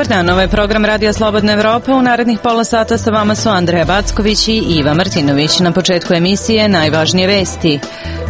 Dobar dan, ovo je program Radija Slobodna Evropa. U narednih pola sata sa vama su Andreja Backović i Iva Martinović. Na početku emisije najvažnije vesti.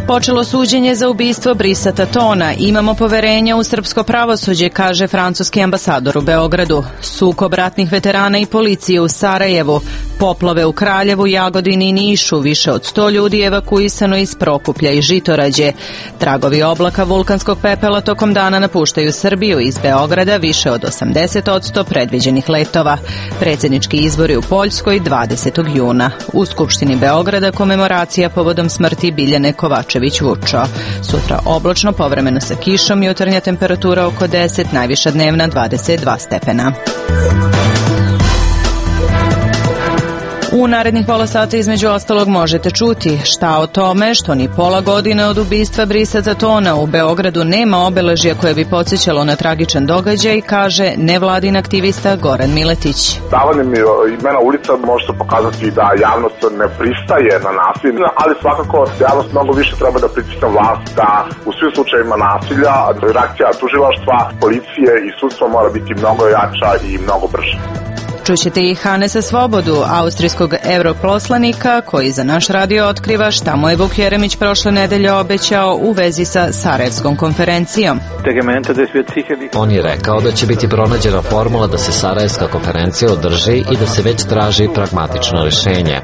Počelo suđenje za ubistvo Brisata Tona. Imamo poverenja u srpsko pravosuđe, kaže francuski ambasador u Beogradu. Sukob ratnih veterana i policije u Sarajevu. Poplave u Kraljevu, Jagodini i Nišu. Više od 100 ljudi evakuisano iz Prokuplja i Žitorađe. Tragovi oblaka vulkanskog pepela tokom dana napuštaju Srbiju. Iz Beograda više od 80% predviđenih letova. Predsjednički izbori u Poljskoj 20. juna. U Skupštini Beograda komemoracija povodom smrti Biljane Kovačević-Vučo. Sutra oblačno, povremeno sa kišom, jutarnja temperatura oko 10, najviša dnevna 22 stepena. U narednih pola sata između ostalog možete čuti šta o tome što ni pola godine od ubistva Brisata Tona u Beogradu nema obeležja koje bi podsjećalo na tragičan događaj, kaže nevladin aktivista Goran Miletić. Davanjem imena ulica može se pokazati da javnost ne pristaje na nasilje, ali svakako javnost mnogo više treba da pritisne vlast da u svim slučajevima nasilja reakcija tužilaštva, policije i sudstva mora biti mnogo jača i mnogo brža. Čućete i Hanesa Svobodu, austrijskog europoslanika, koji za naš radio otkriva šta mu je Vuk Jeremić prošle nedelje obećao u vezi sa Sarajevskom konferencijom. On je rekao da će biti pronađena formula da se Sarajevska konferencija održi i da se već traži pragmatično rješenje.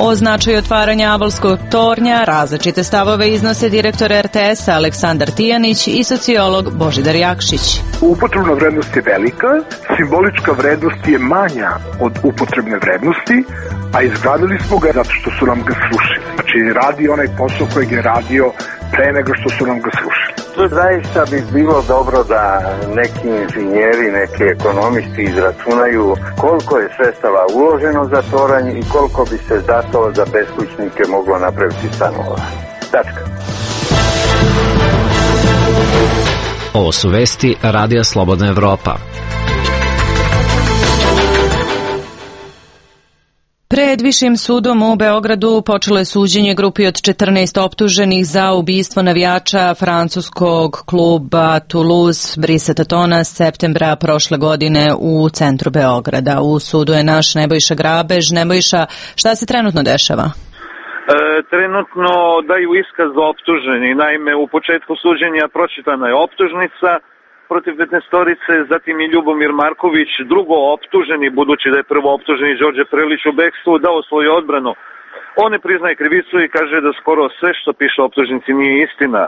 O značaju otvaranja Avalskog tornja različite stavove iznose direktor RTS-a Aleksandar Tijanić i sociolog Božidar Jakšić. Upotrebna vrednost je velika, simbolička vrednost je manja od upotrebne vrednosti, a izgradili smo ga zato što su nam ga srušili. Znači radi onaj posao kojeg je radio pre nego što su nam ga srušili. Zaista bi bilo dobro da neki inženjeri, neki ekonomisti izračunaju koliko je sredstava uloženo za toranj i koliko bi se zato za beskućnike moglo napraviti stanova. Tačka. Ovo su vesti Radija Slobodna Evropa. Pred Višim sudom u Beogradu počelo je suđenje grupi od 14 optuženih za ubistvo navijača francuskog kluba Toulouse Brisata Tona septembra prošle godine u centru Beograda. U sudu je naš Nebojša Grabež. Nebojša, šta se trenutno dešava? Trenutno daju iskaz optuženi. Naime, u početku suđenja pročitana je optužnica protiv 15-torice, zatim i Ljubomir Marković, drugo optuženi, budući da je prvo optuženi Đorđe Prelić u bekstvu, dao svoju odbranu. On ne priznaje krivicu i kaže da skoro sve što piše optužnici nije istina.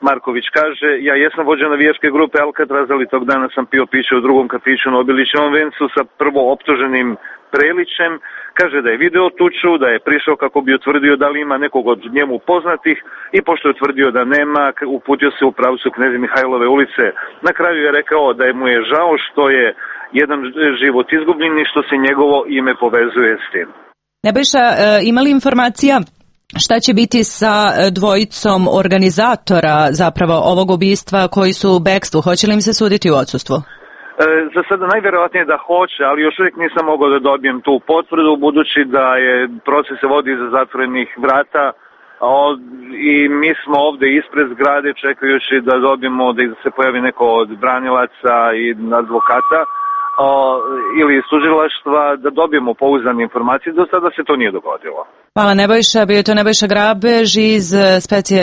Marković kaže, ja jesam vođa navijačke grupe Alcatraz, ali tog dana sam pio piće u drugom kafiću na Obilićevom vencu sa prvo optuženim Prelićem. Kaže da je video tuču, da je prišao kako bi utvrdio da li ima nekog od njemu poznatih i pošto je utvrdio da nema, uputio se u pravcu Kneze Mihajlove ulice. Na kraju je rekao da mu je žao što je jedan život izgubljen i što se njegovo ime povezuje s tim. Nebojša, ima li informacija šta će biti sa dvojicom organizatora zapravo ovog ubistva koji su u bekstvu? Hoće li im se suditi u odsustvu? Za sada najvjerojatnije da hoće, ali još uvijek nisam mogao da dobijem tu potvrdu, budući da je proces se vodi iza zatvorenih vrata i mi smo ovdje ispred zgrade čekajući da dobijemo da se pojavi neko od branilaca i advokata ili iz tužilaštva da dobijemo pouzdane informacije. Do sada se to nije dogodilo. Hvala Nebojša, bio je to Nebojša Grabež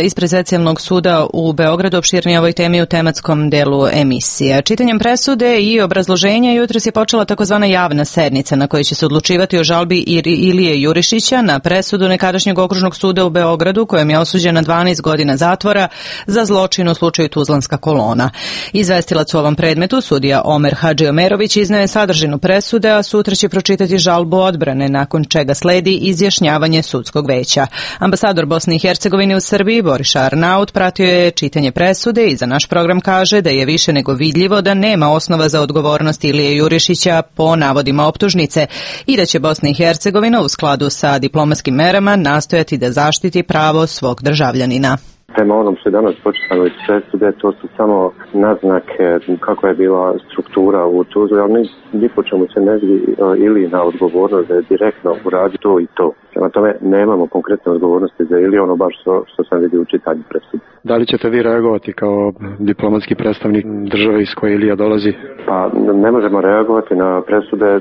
ispred specijalnog suda u Beogradu, opširnije ovoj temi u tematskom delu emisije. Čitanjem presude i obrazloženja jutros je počela takozvana javna sednica na kojoj će se odlučivati o žalbi Ilije Jurišića na presudu nekadašnjeg okružnog suda u Beogradu kojem je osuđen na 12 godina zatvora za zločin u slučaju Tuzlanska kolona. Izvestilac u ovom predmetu, sudija Omer Hadžiomerović, izneo je sadržinu presude, a sutra će pročitati žalbu odbrane, nakon čega sledi izjašnjavanje sudskog veća. Ambasador Bosne i Hercegovine u Srbiji, Boriša Arnaut, pratio je čitanje presude i za naš program kaže da je više nego vidljivo da nema osnova za odgovornost Ilije Jurišića po navodima optužnice i da će Bosna i Hercegovina u skladu sa diplomatskim merama nastojati da zaštiti pravo svog državljanina. Prema onom što je danas počitano iz presude, to su samo naznake kako je bila struktura u tužbi, ali ni po čemu se ne vidi ili na odgovornost da je direktno uradi to i to. Prema tome nemamo konkretne odgovornosti za ili ono baš što sam vidio u čitanju presude. Da li ćete vi reagovati kao diplomatski predstavnik države iz koje Ilija dolazi Pa ne možemo reagovati na presude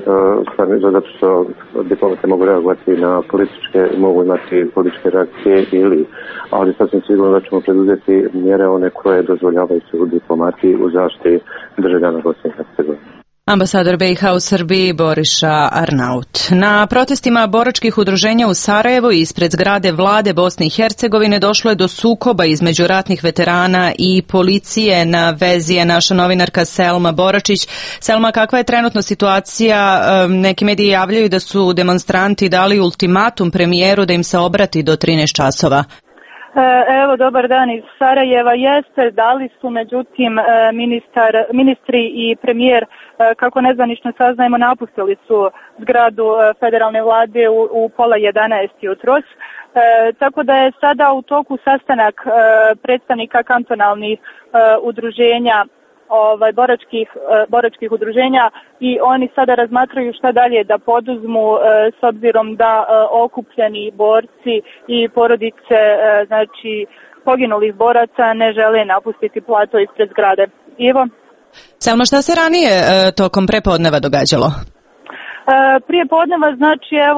zato što diplomate mogu reagovati na političke, mogu imati političke reakcije ali sasvim sigurno da ćemo preduzeti mjere one koje dozvoljavaju se u diplomati u zaštiti državljana Bosne i Hercegovine. Ambasador BiH u Srbiji Boriša Arnaut. Na protestima boračkih udruženja u Sarajevu i ispred zgrade vlade Bosne i Hercegovine došlo je do sukoba između ratnih veterana i policije. Na vezi je naša novinarka Selma Boračić. Selma, kakva je trenutno situacija? Neki mediji javljaju da su demonstranti dali ultimatum premijeru da im se obrati do 13 časova. Evo, dobar dan iz Sarajeva. Jeste, dali su, međutim, ministri i premijer, kako nezvanično saznajemo, napustili su zgradu federalne vlade u 10:30 jutros. Tako da je sada u toku sastanak predstavnika kantonalnih udruženja, boračkih udruženja, i oni sada razmatraju šta dalje da poduzmu s obzirom da okupljeni borci i porodice poginulih boraca ne žele napustiti plato ispred zgrade. Ivo? Selma, šta se ranije tokom prepodneva događalo? Prije podneva,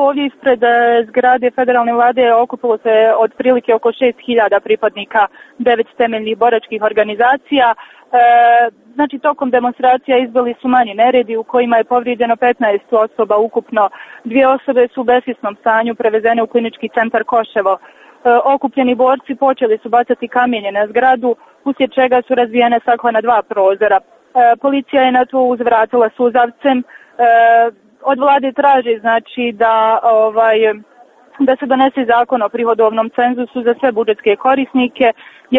ovdje ispred zgrade federalne vlade okupilo se otprilike oko 6.000 pripadnika 9 temeljnih boračkih organizacija. Tokom demonstracija izbili su manji neredi u kojima je povrijeđeno 15 osoba ukupno. 2 osobe su u besvjesnom stanju prevezene u klinički centar Koševo. Okupljeni borci počeli su bacati kamenje na zgradu, uslijed čega su razbijene stakla na 2 prozora. Policija je na to uzvratila suzavcem. Od vlade traži da se donese zakon o prihodovnom cenzusu za sve budžetske korisnike.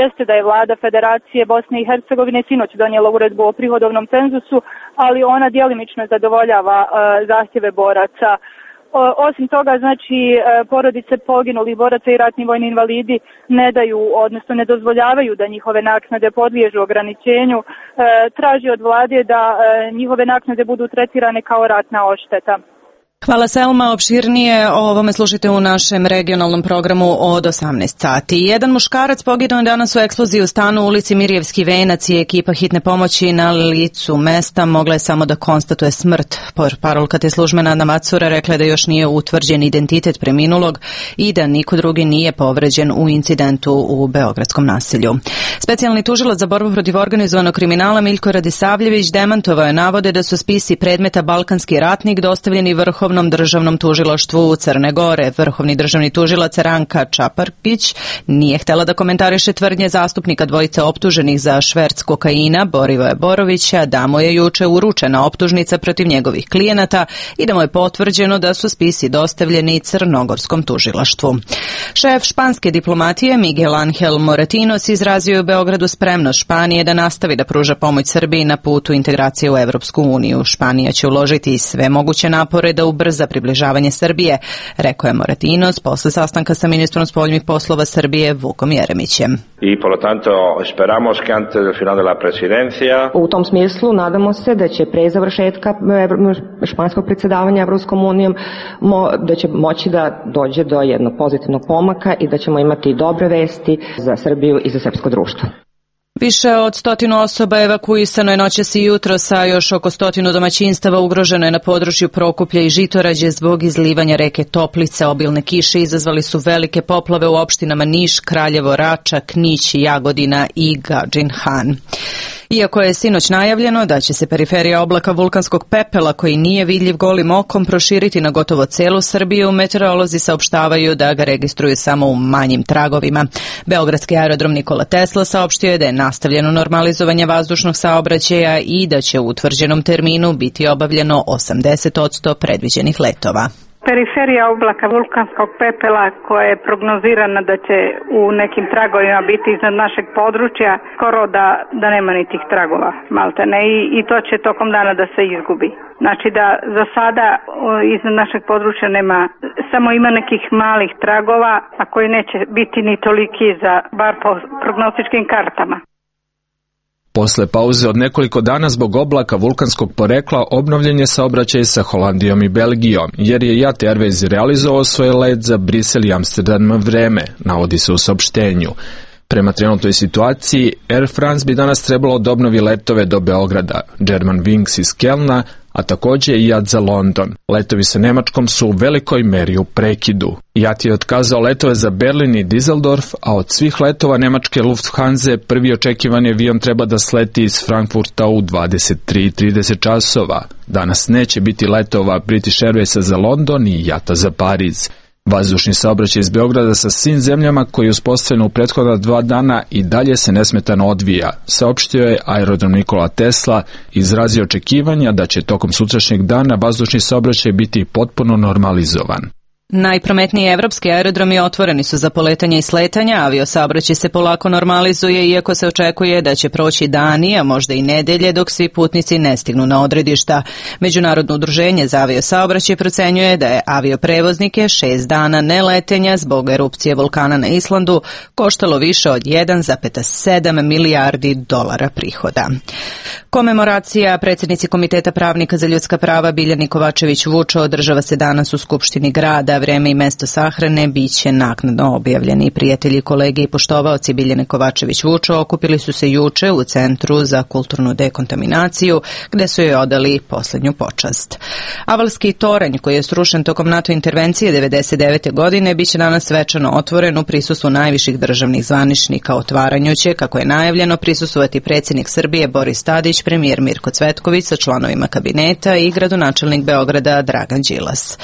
Jeste da je vlada Federacije Bosne i Hercegovine sinoć donijela uredbu o prihodovnom cenzusu, ali ona djelimično zadovoljava zahtjeve boraca. Osim toga, porodice poginulih boraca i ratni vojni invalidi ne dozvoljavaju da njihove naknade podliježu ograničenju. Traži od vlade da njihove naknade budu tretirane kao ratna odšteta. Hvala, Selma. Opširnije o ovome slušajte u našem regionalnom programu od 18 sati. Jedan muškarac poginuo danas u eksploziji u stanu u ulici Mirjevski venac i ekipa hitne pomoći na licu mesta mogla je samo da konstatuje smrt. Parolka te službe Nada Macura rekla je da još nije utvrđen identitet preminulog i da niko drugi nije povređen u incidentu u beogradskom naselju. Specijalni tužilac za borbu protiv organizovanog kriminala Miljko Radisavljević demantovao je navode da su spisi predmeta Balkanski ratnik dostavljeni Vrhovnom državnom tužilaštvu Crne Gore. Vrhovni državni tužilac Ranka Čaparkić nije htjela da komentariše tvrdnje zastupnika dvojice optuženih za šverc kokaina Borivoja Borovića, da mu je juče uručena optužnica protiv njegovih klijenata i da mu je potvrđeno da su spisi dostavljeni crnogorskom tužilaštvu. Šef španske diplomatije Miguel Angel Moratinos izrazio je u Beogradu spremnost Španije da nastavi da pruža pomoć Srbiji na putu integracije u Evropsku uniju. Španija će uložiti sve moguće napore da ubrza približavanje Srbije, rekao je Moratinos posle sastanka sa ministrom spoljnih poslova Srbije Vukom Jeremićem. I por lo tanto esperamos que antes del final de la presidencia. U tom smislu nadamo se da će pre završetka španskog predsjedavanja Evropskom unijom da će moći da dođe do jednog pozitivnog pomaka i da ćemo imati dobre vesti za Srbiju i za srpsko društvo. Više od 100 osoba evakuisano je noćas i jutros, a još oko 100 domaćinstava ugroženo je na području Prokuplja i Žitorađe zbog izlivanja reke Toplice. Obilne kiše izazvali su velike poplave u opštinama Niš, Kraljevo, Rača, Knić, Jagodina i Gadžin Han. Iako je sinoć najavljeno da će se periferija oblaka vulkanskog pepela koji nije vidljiv golim okom proširiti na gotovo celu Srbiju, meteorolozi saopštavaju da ga registruju samo u manjim tragovima. Beogradski aerodrom Nikola Tesla saopštio je da je nastavljeno normalizovanje vazdušnog saobraćaja i da će u utvrđenom terminu biti obavljeno 80% predviđenih letova. Periferija oblaka vulkanskog pepela koja je prognozirana da će u nekim tragovima biti iznad našeg područja, skoro da nema ni tih tragova, maltene, i to će tokom dana da se izgubi. Znači da za sada iznad našeg područja nema, samo ima nekih malih tragova, a koji neće biti ni toliki bar po prognostičkim kartama. Posle pauze od nekoliko dana zbog oblaka vulkanskog porekla obnovljen je saobraćaj sa Holandijom i Belgijom, jer je JAT Airways realizovao svoj let za Brisel i Amsterdam vreme, navodi se u saopštenju. Prema trenutnoj situaciji, Air France bi danas trebalo da obnovi letove do Beograda, Germanwings iz Kelna, a takođe i JAT za London. Letovi sa Nemačkom su u velikoj meri u prekidu. JAT je otkazao letove za Berlin i Düsseldorf, a od svih letova nemačke Lufthansa prvi očekivani avion treba da sleti iz Frankfurta u 23:30 časova. Danas neće biti letova British Airwaysa za London i JAT-a za Pariz. Vazdušni saobraćaj iz Beograda sa svim zemljama koji je uspostavljen u prethodna 2 dana i dalje se nesmetano odvija, saopštio je aerodrom Nikola Tesla, izrazio očekivanja da će tokom sutrašnjeg dana vazdušni saobraćaj biti potpuno normalizovan. Najprometniji evropski aerodromi otvoreni su za poletanje i sletanja, aviosaobraćaj se polako normalizuje, iako se očekuje da će proći dani, a možda i nedelje, dok svi putnici ne stignu na odredišta. Međunarodno udruženje za aviosaobraćaj procenjuje da je avioprevoznike 6 dana neletenja zbog erupcije vulkana na Islandu koštalo više od 1,7 milijardi dolara prihoda. Komemoracija predsjednici Komiteta pravnika za ljudska prava Biljani Kovačević-Vučo održava se danas u Skupštini grada. Vreme i mesto sahrane biće naknadno objavljeni. Prijatelji, kolege i poštovaoci Biljane Kovačević-Vučo okupili su se juče u Centru za kulturnu dekontaminaciju, gde su joj odali poslednju počast. Avalski toranj, koji je srušen tokom NATO intervencije 1999. godine, biće danas svečano otvoren u prisustvu najviših državnih zvaničnika. Otvaranju će, kako je najavljeno, prisustvovati predsjednik Srbije Boris Tadić, premijer Mirko Cvetković sa članovima kabineta i gradonačelnik Beograda Dragan Đilas.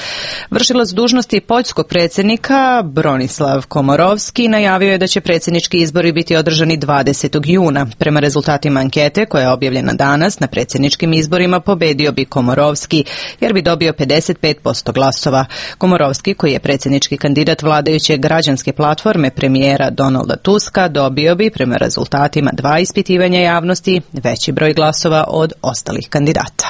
Vršilac dužnosti poljskog predsjednika Bronislav Komorovski najavio je da će predsjednički izbori biti održani 20. juna. Prema rezultatima ankete koja je objavljena danas, na predsjedničkim izborima pobedio bi Komorovski jer bi dobio 55% glasova. Komorovski, koji je predsjednički kandidat vladajuće građanske platforme premijera Donalda Tuska, dobio bi prema rezultatima 2 ispitivanja javnosti veći broj glasova od ostalih kandidata.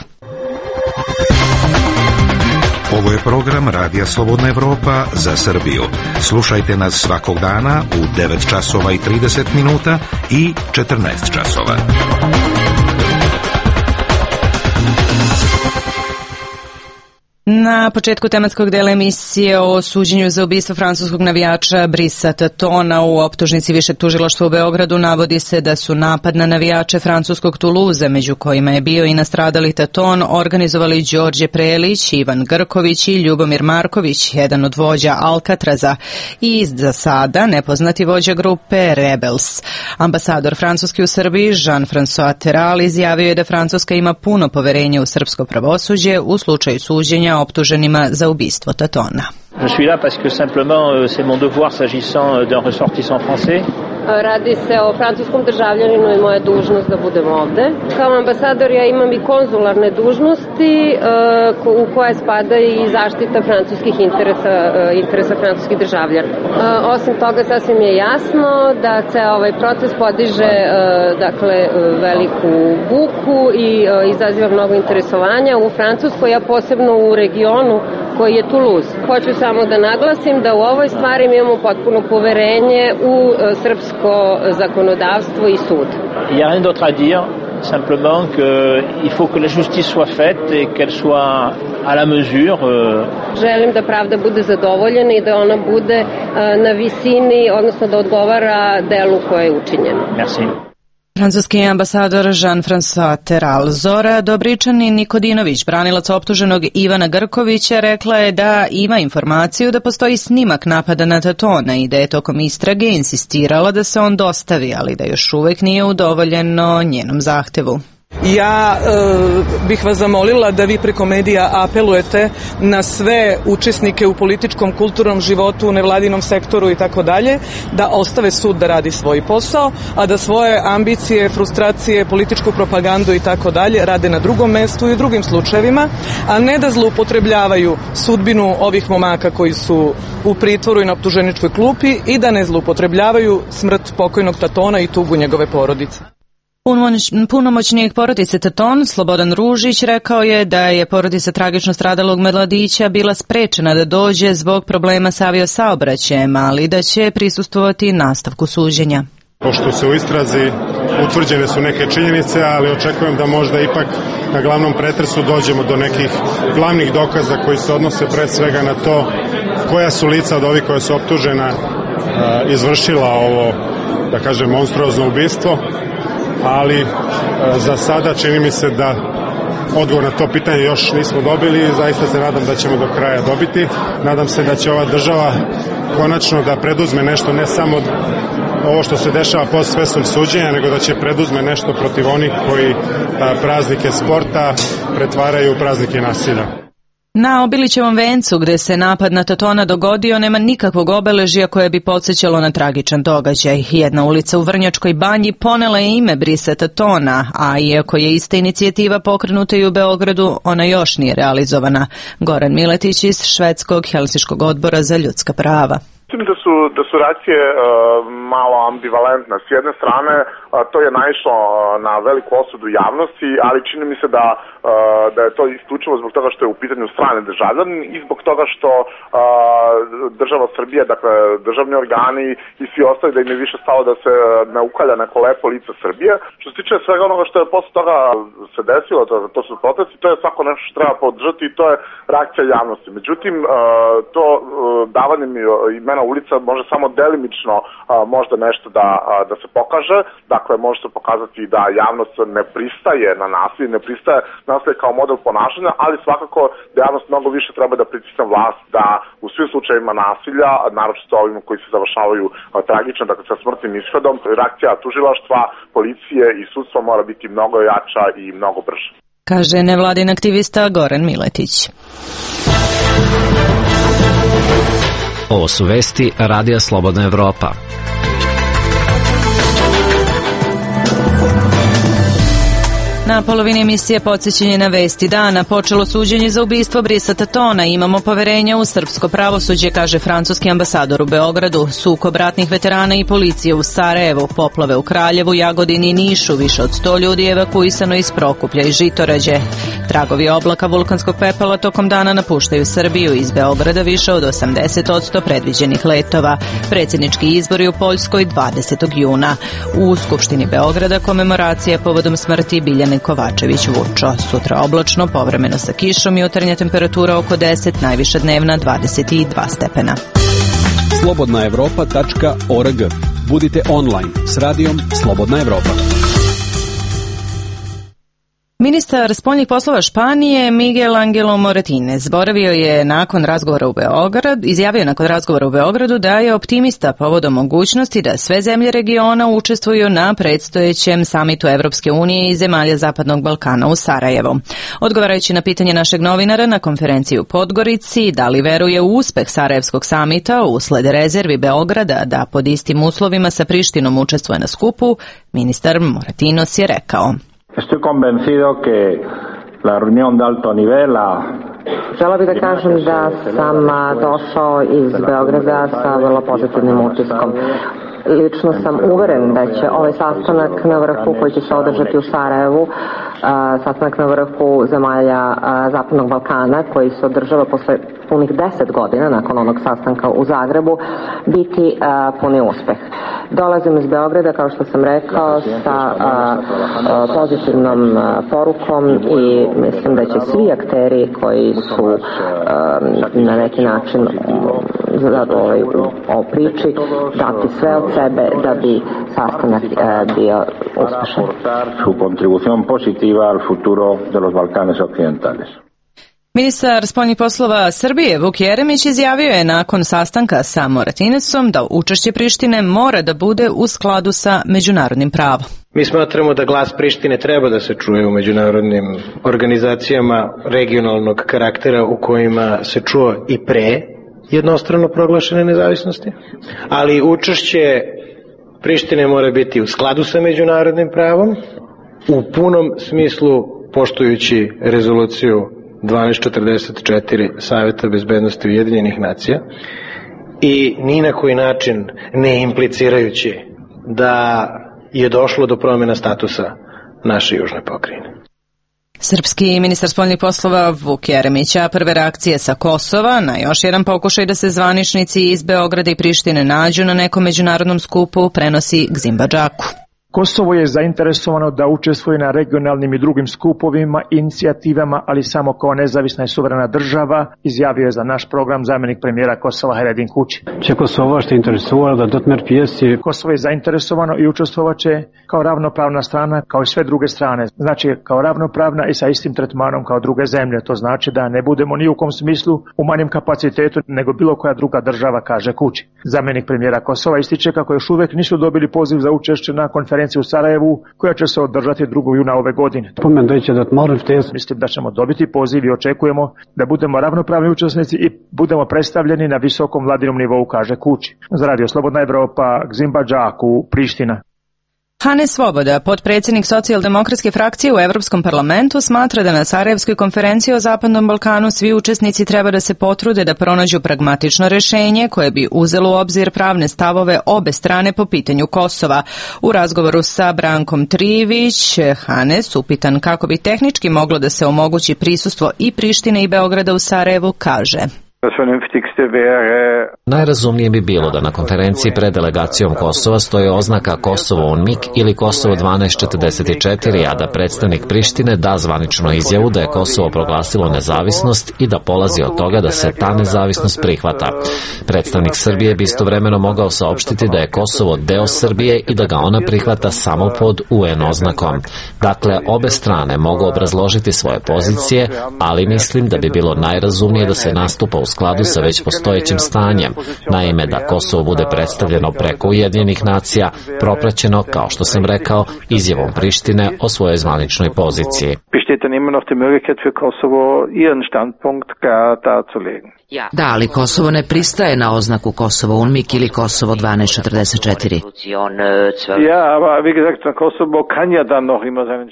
Ovo je program Radija Slobodna Evropa za Srbiju. Slušajte nas svakog dana u 9 časova i 30 minuta i 14 časova. Na početku tematskog dela emisije o suđenju za ubistvo francuskog navijača Brisa Tatona u optužnici Višeg tužilaštva u Beogradu navodi se da su napad na navijače francuskog Toulouse, među kojima je bio i nastradali Taton, organizovali Đorđe Prelić, Ivan Grković i Ljubomir Marković, jedan od vođa Alcatraza, i za sada nepoznati vođa grupe Rebels. Ambasador Francuski u Srbiji Jean-François Terral izjavio je da Francuska ima puno poverenja u srpsko pravosuđe u slučaju suđenja optuženima za ubistvo Tatona. Je suis là parce que simplement c'est mon devoir s'agissant d'un ressortissant français. Radi se o francuskom državljaninu i moja dužnost da budem ovde. Kao ambasador ja imam i konzularne dužnosti u koje spada i zaštita francuskih interesa francuskih državljana. Osim toga sasvim je jasno da ceo ovaj proces podiže veliku buku i izaziva mnogo interesovanja u Francuskoj, a posebno u regionu koji je Toulouse. Hoću samo da naglasim da u ovoj stvari mi imamo potpuno poverenje u srpsko zakonodavstvo i sud. Il n'y a rien d'autre à dire, simplement qu'il faut que la justice soit faite et qu'elle soit à la mesure. Želim da pravda bude zadovoljena i da ona bude na visini, odnosno da odgovara delu koje je učinjeno. Merci. Francuski ambasador Jean-François Terral. Zora Dobričanin-Nikodinović, branilac optuženog Ivana Grkovića, rekla je da ima informaciju da postoji snimak napada na Tatona i da je tokom istrage insistirala da se on dostavi, ali da još uvek nije udovoljeno njenom zahtevu. Ja bih vas zamolila da vi preko medija apelujete na sve učesnike u političkom, kulturnom životu, u nevladinom sektoru i tako dalje, da ostave sud da radi svoj posao, a da svoje ambicije, frustracije, političku propagandu i tako dalje rade na drugom mestu i u drugim slučajevima, a ne da zloupotrebljavaju sudbinu ovih momaka koji su u pritvoru i na optuženičkoj klupi i da ne zloupotrebljavaju smrt pokojnog Tatona i tugu njegove porodice. Punomoćnik porodice Taton, Slobodan Ružić, rekao je da je porodica tragično stradalog mladića bila sprečena da dođe zbog problema sa aviosaobraćajem, ali da će prisustvovati nastavku suđenja. Pošto se u istrazi utvrđene su neke činjenice, ali očekujem da možda ipak na glavnom pretresu dođemo do nekih glavnih dokaza koji se odnose pre svega na to koja su lica od ovih koja su optužena izvršila ovo, da kažem, monstruozno ubistvo, ali za sada čini mi se da odgovor na to pitanje još nismo dobili i zaista se nadam da ćemo do kraja dobiti. Nadam se da će ova država konačno da preduzme nešto, ne samo ovo što se dešava posle suđenja, nego da će preduzme nešto protiv onih koji praznike sporta pretvaraju u praznike nasilja. Na Obilićevom vencu, gde se napad na Tatona dogodio, nema nikakvog obeležja koje bi podsjećalo na tragičan događaj. Jedna ulica u Vrnjačkoj Banji ponela je ime Brisa Tatona, a iako je ista inicijativa pokrenuta i u Beogradu, ona još nije realizovana. Goran Miletić iz Švedskog Helsinškog odbora za ljudska prava. Mislim da su reakcije malo ambivalentne. S jedne strane, to je naišlo na veliku osudu javnosti, ali čini mi se da je to isključivo zbog toga što je u pitanju strane državljani i zbog toga što država Srbije, dakle državni organi i svi ostali, da im je više stalo da se ne ukalja neko lepo lice Srbije. Što se tiče svega onoga što je posle toga se desilo, to su protesti, to je svako nešto što treba podržati i to je reakcija javnosti. Međutim, to davanjem imena ulica može samo delimično možda nešto da se pokaže. Dakle, može se pokazati da javnost ne pristaje na nasilje, ne pristaje nasilje kao model ponašanja, ali svakako da javnost mnogo više treba da pritisne vlast da u svim slučajevima nasilja, naročito ovim koji se završavaju tragično, dakle sa smrtnim ishodom, reakcija tužilaštva, policije i sudstva mora biti mnogo jača i mnogo brža. Kaže nevladin aktivista Goran Miletić. Ovo su vesti Radija Slobodna Evropa. Na polovini emisije podsjećanje na vesti dana. Počelo suđenje za ubistvo Brisa Tatona. Imamo poverenja u srpsko pravosuđe, kaže francuski ambasador u Beogradu. Sukob ratnih veterana i policije u Sarajevu. Poplave u Kraljevu, Jagodini i Nišu. Više od 100 ljudi evakuisano iz Prokuplja i Žitorađe. Tragovi oblaka vulkanskog pepela tokom dana napuštaju Srbiju. Iz Beograda više od 80% predviđenih letova. Predsjednički izbori u Poljskoj 20. juna. U Skupštini Beograda komemoracija povodom smrti Biljane Kovačević Vučo. Sutra oblačno, povremeno sa kišom, jutarnja temperatura oko 10, najviša dnevna 22 stepena. slobodnaevropa.org. Budite online s radijom Slobodna Evropa. Ministar spoljnih poslova Španije Miguel Angelo Moratines izjavio nakon razgovora u Beogradu da je optimista povodom mogućnosti da sve zemlje regiona učestvuju na predstojećem samitu Evropske unije i zemalja Zapadnog Balkana u Sarajevu. Odgovarajući na pitanje našeg novinara na konferenciji u Podgorici da li veruje u uspeh Sarajevskog samita usled rezervi Beograda da pod istim uslovima sa Prištinom učestvuje na skupu, ministar Moratinos je rekao: Estoy convencido que la reunión de alto nivel, Žela bih da kažem da sam došao iz Beograda sa vrlo pozitivnim utiskom. Lično sam uveren da će ovaj sastanak na vrhu koji će se održati u Sarajevu, sastanak na vrhu zemalja Zapadnog Balkana koji se održava posle punih 10 godina nakon onog sastanka u Zagrebu, biti puni uspeh. Dolazim iz Beograda, kao što sam rekao, sa pozitivnom porukom i mislim da će svi akteri koji su na neki način o priči dati sve od sebe da bi sastanak bio uspešan. Su contribución positiva al futuro de los Balcanes occidentales. Ministar spoljnih poslova Srbije Vuk Jeremić izjavio je nakon sastanka sa Moratinesom da učešće Prištine mora da bude u skladu sa međunarodnim pravom. Mi smatramo da glas Prištine treba da se čuje u međunarodnim organizacijama regionalnog karaktera u kojima se čuo i pre jednostrano proglašene nezavisnosti, ali učešće Prištine mora biti u skladu sa međunarodnim pravom, u punom smislu poštujući rezoluciju 1244 Saveta bezbednosti Ujedinjenih nacija i ni na koji način ne implicirajući da je došlo do promjena statusa naše južne pokrajine. Srpski ministar spoljnih poslova Vuk Jeremića prve reakcije sa Kosova na još jedan pokušaj da se zvaničnici iz Beograda i Prištine nađu na nekom međunarodnom skupu prenosi Gzimba Džaku. Kosovo je zainteresovano da učestvuje na regionalnim i drugim skupovima, inicijativama, ali samo kao nezavisna i suverena država, izjavio je za naš program zamjenik premijera Kosova Haredin Kuči. Kosovo je zainteresovano i učestvovat će kao ravnopravna strana, kao i sve druge strane. Znači kao ravnopravna i sa istim tretmanom kao druge zemlje. To znači da ne budemo ni u kom smislu u manjem kapacitetu nego bilo koja druga država, kaže Kuči. Zamjenik premijera Kosova ističe kako još uvijek nisu dobili poziv za učešće na konferenciji u Sarajevu, koja će se održati 2. juna ove godine. Mislim da ćemo dobiti poziv i očekujemo da budemo ravnopravni učesnici i budemo predstavljeni na visokom vladinom nivou, kaže Kuči. Za Radio Slobodna Evropa, Gzimba Džaku, Priština. Hane Svoboda, potpredsjednik socijaldemokratske frakcije u Europskom parlamentu, smatra da na Sarajevskoj konferenciji o Zapadnom Balkanu svi učesnici treba da se potrude da pronađu pragmatično rješenje koje bi uzelo u obzir pravne stavove obe strane po pitanju Kosova. U razgovoru sa Brankom Trivić, Hanes, upitan kako bi tehnički moglo da se omogući prisustvo i Prištine i Beograda u Sarajevu, kaže: Najrazumnije bi bilo da na konferenciji pred delegacijom Kosova stoji oznaka Kosovo UNMIK ili Kosovo 1244, a da predstavnik Prištine da zvaničnu izjavu da je Kosovo proglasilo nezavisnost i da polazi od toga da se ta nezavisnost prihvata. Predstavnik Srbije bi istovremeno mogao saopštiti da je Kosovo deo Srbije i da ga ona prihvata samo pod UN oznakom. Dakle, obe strane mogu obrazložiti svoje pozicije, ali mislim da bi bilo najrazumnije da se nastupa u skladu sa već postojećim stanjem. Naime, da Kosovo bude predstavljeno preko Ujedinjenih nacija, propraćeno, kao što sam rekao, izjavom Prištine o svojoj zvaničnoj poziciji. Da, ali Kosovo ne pristaje na oznaku Kosovo UNMIK ili Kosovo 1244.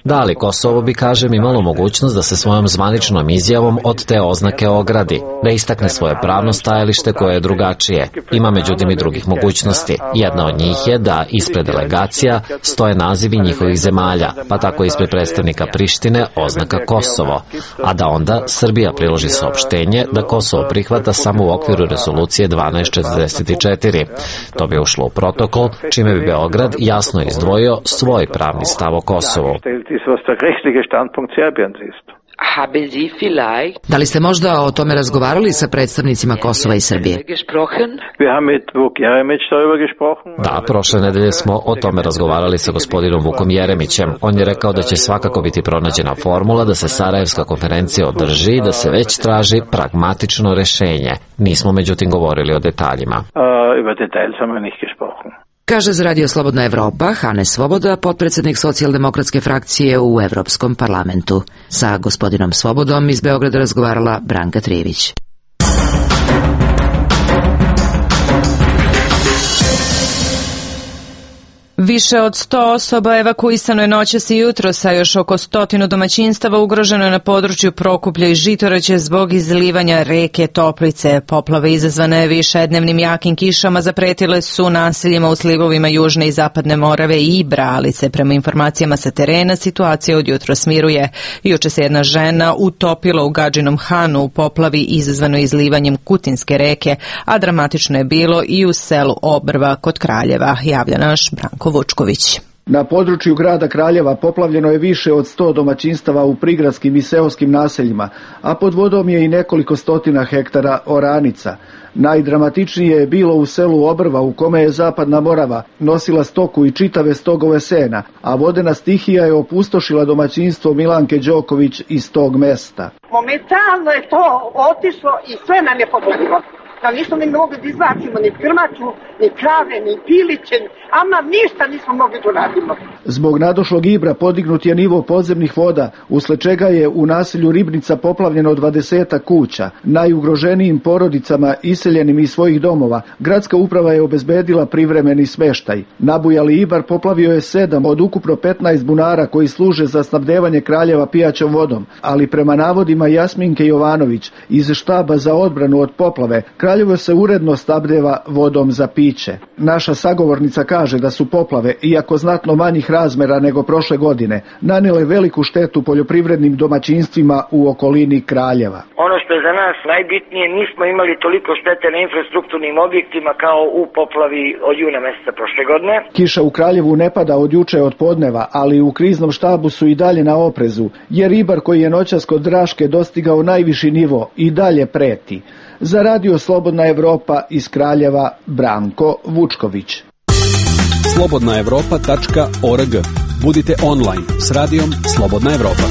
Da, ali Kosovo bi, kažem, imalo mogućnost da se svojom zvaničnom izjavom od te oznake ogradi, da istakne svoje pravno stajalište koje je drugačije. Ima međutim i drugih mogućnosti. Jedna od njih je da ispred delegacija stoje nazivi njihovih zemalja, pa tako ispred predstavnika Prištine oznaka Kosovo, a da onda Srbija priloži saopštenje da Kosovo prihvata samo u okviru rezolucije 1244. To bi ušlo u protokol, čime bi Beograd jasno izdvojio svoj pravni stav o Kosovu. Da li ste možda o tome razgovarali sa predstavnicima Kosova i Srbije? Da, prošle nedelje smo o tome razgovarali sa gospodinom Vukom Jeremićem. On je rekao da će svakako biti pronađena formula da se Sarajevska konferencija održi i da se već traži pragmatično rešenje. Nismo međutim govorili o detaljima. Kaže za Radio Slobodna Evropa Hane Svoboda, potpredsjednik socijaldemokratske frakcije u Evropskom parlamentu. Sa gospodinom Svobodom iz Beograda razgovarala Branka Trivić. Više od 100 osoba evakuisano je noćas i jutros, a još oko 100 domaćinstava ugroženo je na području Prokuplja i Žitoraće zbog izlivanja reke Toplice. Poplave izazvane višednevnim jakim kišama zapretile su naseljima u slivovima Južne i Zapadne Morave i Bralice. Prema informacijama sa terena, situacija od jutros miruje. Juče se jedna žena utopila u Gadžinom Hanu u poplavi izazvano izlivanjem Kutinske reke, a dramatično je bilo i u selu Obrva kod Kraljeva, javlja naš Branko Vučković. Na području grada Kraljeva poplavljeno je više od 100 domaćinstava u prigradskim i seoskim naseljima, a pod vodom je i nekoliko stotina hektara oranica. Najdramatičnije je bilo u selu Obrva, u kome je Zapadna Morava nosila stoku i čitave stogove sena, a vodena stihija je opustošila domaćinstvo Milanke Đoković iz tog mesta. Momentalno je to otišlo i sve nam je poplavilo. Da nismo mi mogli da izvacimo ni krmaču, ni krave, ni piliće, ama ništa nismo mogli da radimo. Zbog nadošlog Ibra podignut je nivo podzemnih voda, usled čega je u naselju Ribnica poplavljeno 20 kuća. Najugroženijim porodicama iseljenim iz svojih domova, gradska uprava je obezbedila privremeni smeštaj. Nabujali Ibar poplavio je 7 od ukupno 15 bunara koji služe za snabdevanje Kraljeva pijaćom vodom, ali prema navodima Jasminke Jovanović iz štaba za odbranu od poplave, Kraljevo se uredno snabdeva vodom za piće. Naša sagovornica kaže da su poplave, iako znatno manjih razmera nego prošle godine, nanele veliku štetu poljoprivrednim domaćinstvima u okolini Kraljeva. Ono što što je za nas najbitnije, nismo imali toliko štete na infrastrukturnim objektima kao u poplavi od juna meseca prošle godine. Kiša u Kraljevu ne pada od juče od podneva, ali u kriznom štabu su i dalje na oprezu, jer ribar koji je noćas kod Draške dostigao najviši nivo i dalje preti. Za Radio Slobodna Evropa iz Kraljeva, Branko Vučković. slobodnaevropa.org. Budite online s radijom Slobodna Evropa.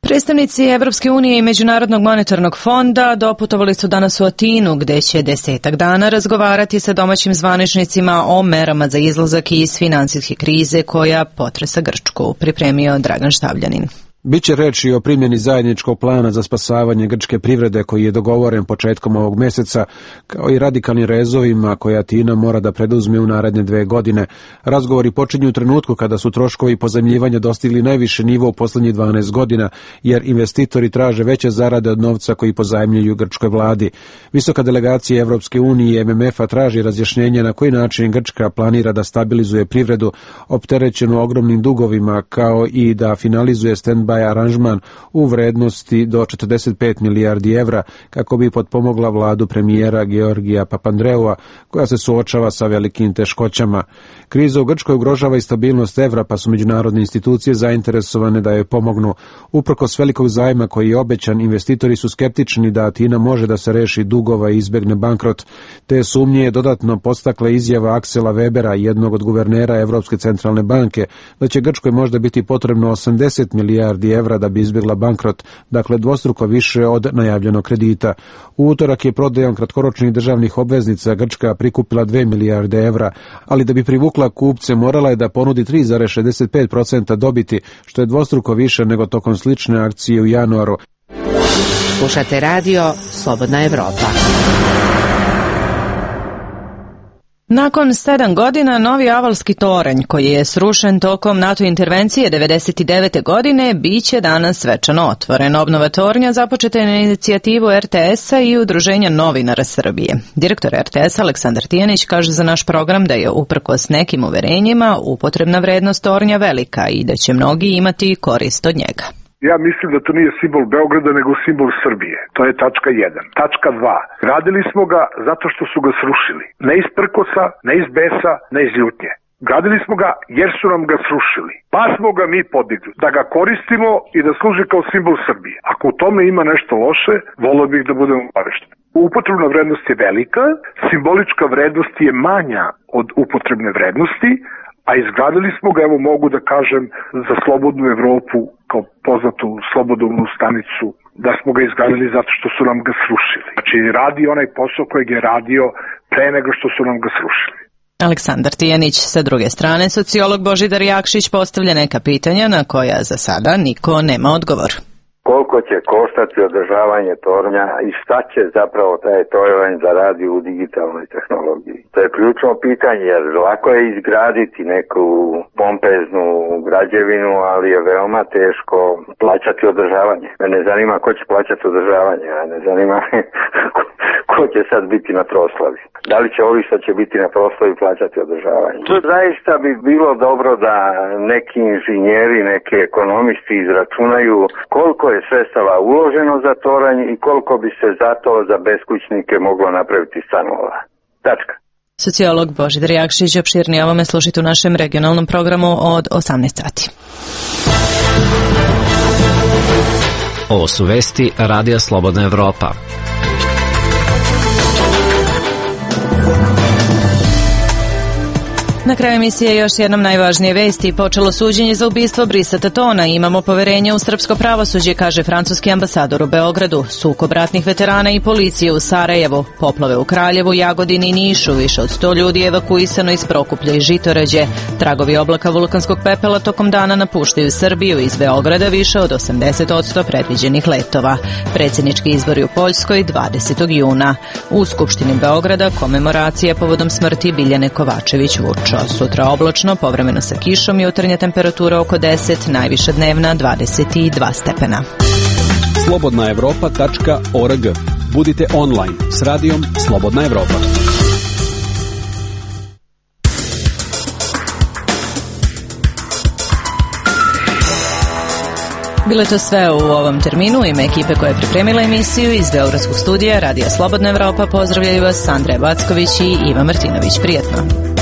Predstavnici Evropske unije i Međunarodnog monetarnog fonda doputovali su danas u Atinu, gde će 10 dana razgovarati sa domaćim zvaničnicima o merama za izlazak iz finansijske krize koja potresa Grčku, pripremio Dragan Štavljanin. Biće reči o primjeni zajedničkog plana za spasavanje grčke privrede koji je dogovoren početkom ovog meseca, kao i radikalnim rezovima koje Atina mora da preduzme u naredne 2 godine. Razgovori počinju u trenutku kada su troškovi pozajmljivanja dostigli najviše nivo u poslednjih 12 godina, jer investitori traže veće zarade od novca koji pozajmljuju grčkoj vladi. Visoka delegacija Evropske unije i MMF-a traži razjašnjenje na koji način Grčka planira da stabilizuje privredu opterećenu ogromnim dugovima, kao i da finalizuje stand-by aranžman u vrednosti do 45 milijardi evra kako bi potpomogla vladu premijera Georgija Papandreua, koja se suočava sa velikim teškoćama. Kriza u Grčkoj ugrožava i stabilnost evra, pa su međunarodne institucije zainteresovane da joj pomognu. Uprkos velikog zajma koji je obećan, investitori su skeptični da Atina može da se reši dugova i izbegne bankrot. Te sumnje je dodatno podstakla izjava Aksela Webera, jednog od guvernera Evropske centralne banke, da će Grčkoj možda biti potrebno 80 milijardi evra da bi izbjegla bankrot, dakle dvostruko više od najavljenog kredita. U utorak je prodajom kratkoročnih državnih obveznica Grčka prikupila 2 milijarde evra, ali da bi privukla kupce morala je da ponudi 3,65% dobiti, što je dvostruko više nego tokom slične akcije u januaru. Slušate radio Slobodna Evropa. Nakon 7 godina, novi Avalski toranj, koji je srušen tokom NATO intervencije 1999. godine, biće danas svečano otvoren. Obnova tornja započeta je na inicijativu RTS-a i Udruženja novinara Srbije. Direktor RTS-a Aleksandar Tijanić kaže za naš program da je uprkos nekim uverenjima upotrebna vrednost tornja velika i da će mnogi imati korist od njega. Ja mislim da to nije simbol Beograda, nego simbol Srbije. To je tačka 1. Tačka 2. Radili smo ga zato što su ga srušili. Ne iz prkosa, ne iz besa, ne iz ljutnje. Gradili smo ga jer su nam ga srušili. Pa smo ga mi podigli. Da ga koristimo i da služi kao simbol Srbije. Ako u tome ima nešto loše, volio bih da budemo obavešteni. Upotrebna vrednost je velika, simbolička vrednost je manja od upotrebne vrednosti, a izgradili smo ga, evo mogu da kažem, za Slobodnu Evropu, kao poznatu slobodovnu stanicu, da smo ga izgradili zato što su nam ga srušili. Znači, radi onaj posao kojeg je radio pre nego što su nam ga srušili. Aleksandar Tijanić. Sa druge strane, sociolog Božidar Jakšić postavlja neka pitanja na koja za sada niko nema odgovor. Koliko će koštati održavanje tornja i šta će zapravo taj tornj zaradi u digitalnoj tehnologiji? To je ključno pitanje, jer lako je izgraditi neku pompeznu građevinu, ali je veoma teško plaćati održavanje. Mene zanima ko će plaćati održavanje, a ne zanima ko će sad biti na proslavi. Da li će ovi što će biti na proslavi plaćati održavanje? To zaista bi bilo dobro da neki inženjeri, neki ekonomisti izračunaju koliko je sredstava uloženo za toranj i koliko bi se zato za beskućnike moglo napraviti stanova. Tačka. Sociolog Božidar Jakšić. Opširnije ovome slušajte u našem regionalnom programu od 18 sati. Ovo su vesti Radija Slobodna Evropa. Na kraju emisije još jednom najvažnije vesti. Počelo suđenje za ubistvo Brisa Tatona. Imamo poverenje u srpsko pravosuđe, kaže francuski ambasador u Beogradu. Sukob ratnih veterana i policije u Sarajevu. Poplave u Kraljevu, Jagodini i Nišu. Više od 100 ljudi evakuisano iz Prokuplja i Žitorađe. Tragovi oblaka vulkanskog pepela tokom dana napuštaju Srbiju. Iz Beograda više od 80% predviđenih letova. Predsjednički izbori u Poljskoj 20. juna. U Skupštini Beograda komemoracija povodom smrti Biljane Kovačević-Vučo. Sutra oblačno, povremeno sa kišom, jutarnja temperatura oko 10, najviša dnevna 22 stepena. slobodnaevropa.org. Budite online s radijom Slobodna Evropa. Bilo je to sve u ovom terminu. U ime ekipe koja je pripremila emisiju iz Beogradskog studija Radija Slobodna Evropa pozdravljaju vas Andreja Backović i Iva Martinović. Prijetno.